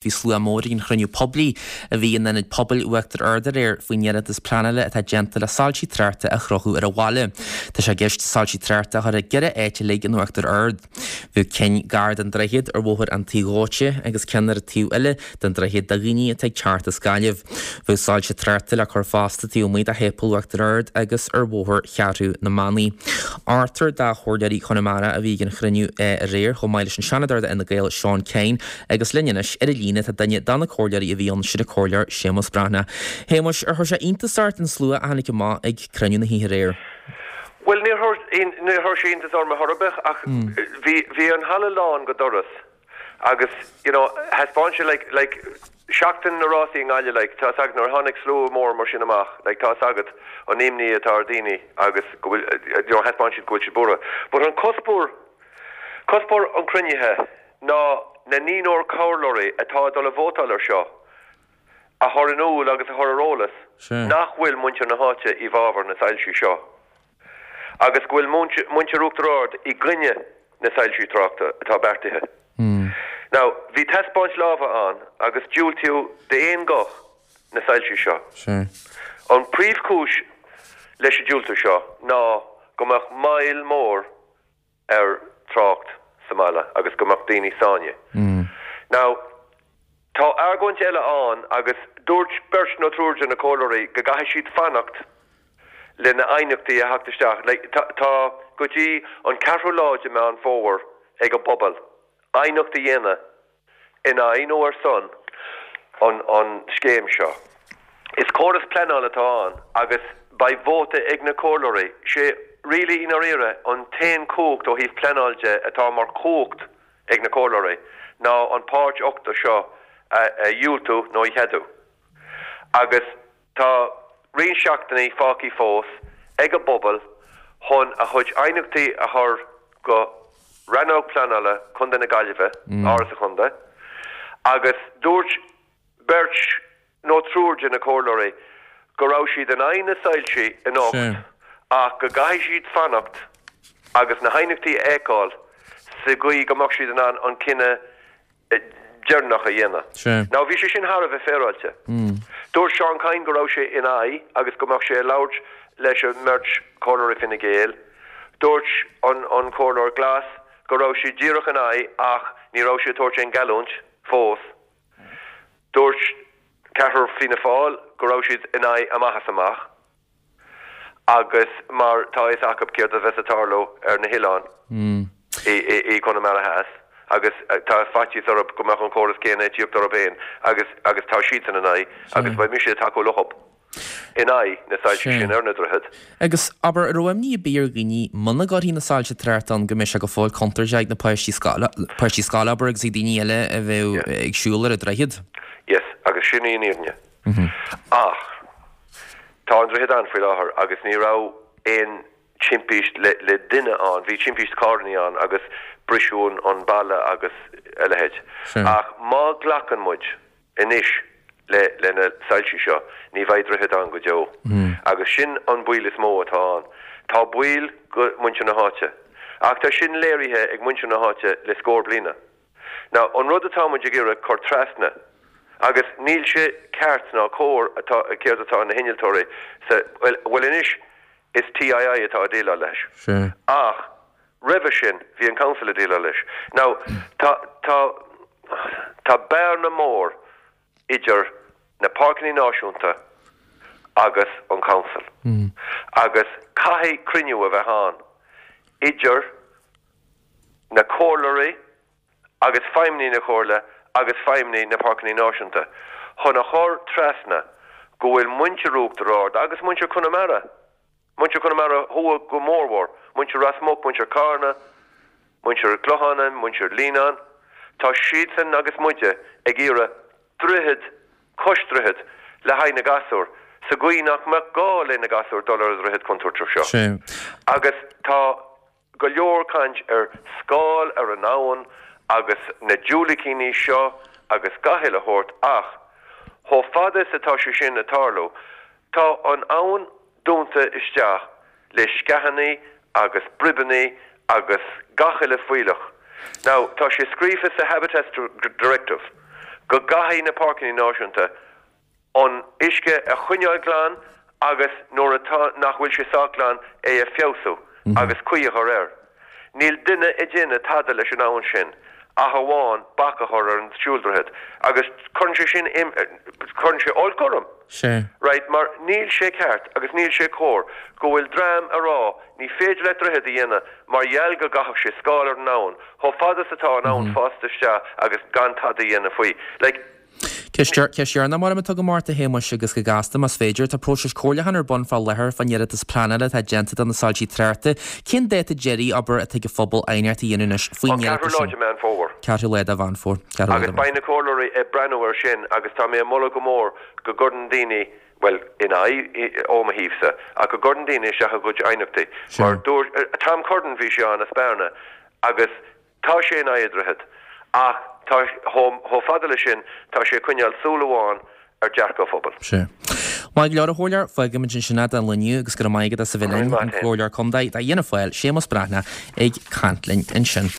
Bhí slua mór ag an chruinniú poiblí a bhí in Ionad Pobail Uachtar Ard aréir faoin iarratas pleanála atá déanta le soilsí tráchta a chrochadh ar an bhaile. Tá sé i gceist soilsí tráchta a chur i gceithre áit uilig in Uachtar Ard. Bheadh cinn gar don droichead ar Bhóthar an Tí Dhóite agus ceann ar an taobh eile den droichead do dhaoine atá ag teacht as Gaillimh. Bheadh soilse tráchta le cur fosta taobh amuigh de Shéipéal Uachtar Ard agus ar Bhóthar Cheathrú na Manaí. Ochtar de Chomhairleoirí Chonamara a bhí ag an chruinniú aréir chomh maith leis an Seanadóir d'Fhine Gael Seán Kyne Agus linn anois ar an líne tá duine de na comhairleoirí a bhí ann, sin an Comhairleoir Séamus Breathnach. Shéamuis, ar chuir sé iontas ort an slua a tháinig amach ag cruinniú na hoíche aréir? Bhuel, níor chuir sé iontas orm ar chor ar bith ach bhí, bhí an halla lán go doras agus, you know, thaispeáin sé like, like, seachtain na rásaí i nGaillimh, like, tá 'fhios agat nuair a tháinig slua mór mar sin amach, like, tá 'fhios agat an imní atá ar daoine agus go bhfuil, you know, thaispeáin siad go bhfuil siad buartha. But an cuspóir, cuspóir an chruinnithe, ná na naonúr comhairleoirí atá ag dul a vótáil ar seo a chur in iúl agus a chur ar eolas nach bhfuil muintir na háite i bhfabhar na soilsí seo agus go bhfuil muintir Uachtar Ard i gcoinne na soilsí tráchta atá beartaithe. Now, bhí taispeáint láimhe ann agus diúltaíodh d'aon ghuth na soilsí seo. An príomhchúis leis an diúltú seo ná go mbeadh moill mór ar trácht sa mbaile agus go mbeadh daoine sáinnithe. Now, tá argóint eile ann agus dúirt beirt nó triúr de na comhairleoirí go gcaithfidh siad fanacht le na aighneachtaí a theacht isteach. Like, tá, tá go dtí an ceathrú lá de Meán Fómhair ag an bpobal aighneacht a dhéanamh in aghaidh nó ar son an scéim seo. Is córas pleanála atá ann agus beidh vóta ag na comhairleoirí. Sé really i ndáiríre an t-aon chumhacht ó thaobh pleanáil de atá mar chumhacht ag na comhairleoirí ná an páirt 80 seo a dhiúltú nó a cheadú. Agus. Tá roinnt seachtainí fágtha fós ag an bpobal chun a chuid aighneachtaí a chur go Rannóg Pleanála Chontae na Gaillimhe, Áras an Chontae, agus dúirt beirt nó triúr de na comhairleoirí go raibh siad in aghaidh na soilsí anocht ach go gcaithfidh siad fanacht agus na haighneachtaí a fheiceáil sa gcaoi go mbeadh siad in ann an cinneadh deireanach a dhéanamh. Now bhí sé sin thar a bheith féaráilte. Dúirt Seán Kyne go raibh sé in aghaidh agus go mbeadh sé ag labhairt leis an mbeirt chomhairleoirí Fine Gael. Dúirt an an comhairleoir Glas go raibh sé díreach in aghaidh ach ní raibh sé ag tabhairt aon geallúint fós. Dúirt ceathrar Fianna Fáil go raibh siad in aghaidh amach is amach. agus mar tá a fhios acu céard a bheas ag tarlú ar na hoileáin i gConamara Theas agus tá faitíos orthu go mbeadh an córas céanna ag tíocht orthu féin agus agus tá siadsan in aghaidh agus beidh mise ag tacú leo in aghaidh na soilse sin ar na droichid. Agus abair, an raibh imní ar bith ar dhaoine muna gcuirfí na soilse tráchta ann go mbeadh sé go fóill contúirteach ag na páistí scoile, páistí scoile abair agus ag daoine eile a bheadh ag siúl ar an droichead? Yes, agus sin í an fhírinne. Ach tá an droichead ann faoi láthair agus ní raibh aon timpist le duine ann. Bhí timpist carrannaí ann agus briseadh an balla agus a leithéid. Ach má ghlacann muid anois le na soilsí seo, ní bheidh droichead ann go deo. Agus sin an baol is mó atá ann. Tá baol go muintir na háite. Ach tá sin léirithe ag muintir na háite le scór bliana. Now, an rud atá muid ag iarraidh cur trasna, agus níl sé ceart ná cóir atá, céard atá na hinnealtóirí sa, bhuel, bhuel anois is TII atá ag déileáil leis. Ach roimhe sin bhí an council ag déileáil leis. Now, tá, tá, tá bearna mór idir na Páirceanna Náisiúnta agus an council. Agus caithfidh cruinniú a bheith ann idir na comhairleoirí agus feidhmeannaigh na Comhairle agus feidhmeannaigh na Páirceanna Náisiúnta chun a chur trasna go bhfuil muintir Uachtar Ard agus muintir Chonamara, muintir Chonamara Thuaidh go mórmhór, muintir Ros Muc, muintir Carna, muintir an Chlocháin, muintir Líonáin, tá siadsan agus muide ag iarraidh droichead cois droichead le haghaidh na gasúr sa gcaoi nach mbeadh gá le na gasúir dul ar an droichead contúirteach seo. Agus tá. go leor caint ar scáil ar an abhainn agus na diúilicíní seo agus gach uile shórt ach chomh fada is atá sé sin ag tarlú tá an abhainn dúnta isteach le sceachannaí agus bribeannaí agus gach uile fuílleach. Now tá sé scríofa sa Habitats Directive. Go gcaithfidh na Páirceanna Náisiúnta an uisce a choinneáil glan agus nuair atá nach bhfuil sé sách glan é a feabhsú agus caoi a chur air. Níl duine ag déanamh tada leis an abhainn sin ach amháin bac a chur ar an siúldroichead agus cuireann sé sin cuireann sé olc orm. Sea. Right, mar níl sé ceart agus níl sé cóir go bhfuil dream a rá ní féidir leat droichead a dhéanamh mar gheall go gcaithfeadh sé scáil ar an abhainn chomh fada is atá an abhainn fásta isteach agus gan tada a dhéanamh faoi. Like. Ceist dheireanach mar atá agam ort, a Shéamuis, agus go gasta, más féidir. Tá próiseas comhairliúcháin ar bun fá láthair fán iarratas pleanála atá déanta do na soilsí tráchta. Cén dáta deiridh, abair, atá ag an phobal aighneacht a dhéanamh anois faoin An iarratas ceathrú lá sin? de Mheán Fómhair. Ceathrú lá de Mheán Fómhair. Ceathrú lá Agus de Mheán beidh na comhairleoirí ag breathnú air sin agus tá mé ag moladh go mór go gcuireann daoine, bhuel, in aghaidh ó mo thaobhsa, ach go gcuireann daoine isteach a gcuid aighneachtaí. Sure. Mar dúirt, Tom Curran, bhí sé ann as Bearna agus Tá sé in aghaidh an droichead, ach tá, chomh fada leis sin, tá sé ag coinneáil súil amháin ar dearcadh an phobail. Sea. Maith go leor, a Chomhairleoir. Fágfaimid ansin é don lá inniu agus go raibh maith agat as a bheith linn, an Comhairleoir Contae d'Fhianna Fáil, Séamus Breathnach, ag caint linn ansin.